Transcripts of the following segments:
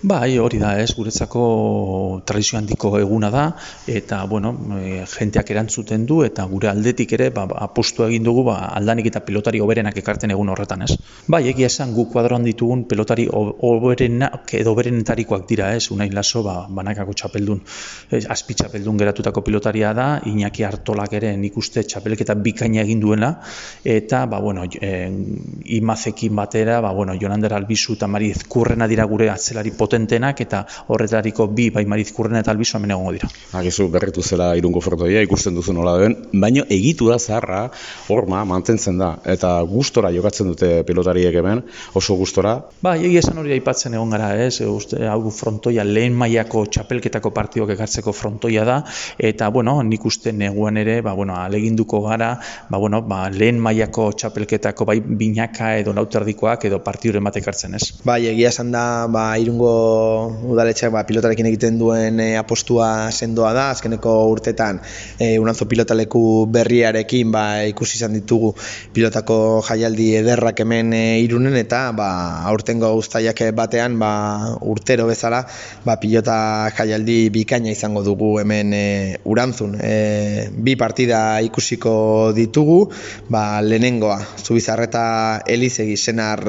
Bai, hori da, guretzako tradizio handiko eguna da, eta, bueno, jenteak erantzuten du, eta gure aldetik ere, apostu egin dugu, aldanik eta pilotari hoberenak ekartzen egun horretan, ez. Bai, egia esan, gu kuadroan ditugun pilotari hoberenak edo hoberenetarikoak dira, ez, Unai Laso, banakako txapeldun, azpi txapeldun geratutako pilotaria da, Iñaki Artolak ere nik uste txapelketa bikaina egin duela, eta, Imazekin batera, Jonander Albizu eta Mariz Kurrena dira gure atzelari potentenak, eta horretariko bi, bai Mariz Kurrena eta Albizu hemen egongo dira. Akizu berritu zela Irungo frontoia, ikusten duzu nola den, baina egitura zaharra horma mantentzen da, eta gustora jokatzen dute pilotariek hemen, oso gustora. Bai, egia esan hori aipatzen egon gara, ez, hau frontoia lehen mailako txapelketako partidok ekartzeko frontoia da, eta, nik uste neguan ere, aleginduko gara, lehen mailako txapelketako bai binaka edo lauterdikoak edo partiduren bat ekartzen, ez. Bai, egia esan da, Irungo udaletxeak pilotarekin egiten duen apostua sendoa da, azkeneko urtetan Unanzo pilotaleku berriarekin ikusi izan ditugu pilotako jaialdi ederrak hemen Irunen, eta aurtengo uztailak batean urtero bezala pilota jaialdi bikaina izango dugu hemen Urantzun. Bi partida ikusiko ditugu, lehenengoa Zubizarreta Elizegi Senar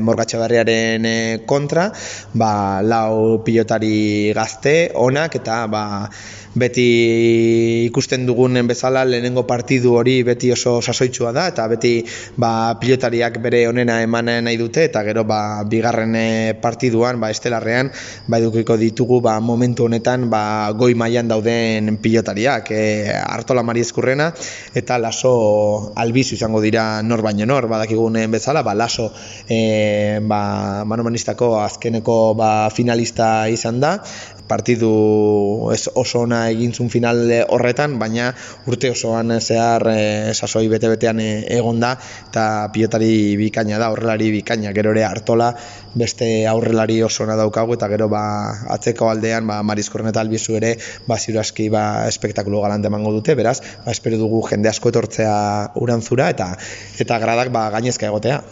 Morgatxabarriaren kontra, lau pilotari gazte onak, eta beti ikusten dugunen bezala lehenengo partidu hori beti oso sasoitsua da, eta beti pilotariak bere onena eman nahi dute, eta gero bigarren partiduan, estelarrean, edukiko ditugu momentu honetan goi mailan dauden pilotariak, Artola Mariz Kurrena eta Laso Albizu izango dira nor baino nor, badakigunen bezala, Laso manomanistako azkeneko finalista izan da, partidu oso ona egintzun final horretan, baina urte osoan zehar sasoi bete-betean egon da, eta pilotari bikaina da, aurrelari bikaina. Gero ere Artola beste aurrelari oso ona daukagu, eta gero atzeko aldean Mariz Kurrena eta Albizu ere ziur aski espektakulo galante emango dute, beraz, espero dugu jende asko etortzea Urantzura, eta gradak gainezka egotea.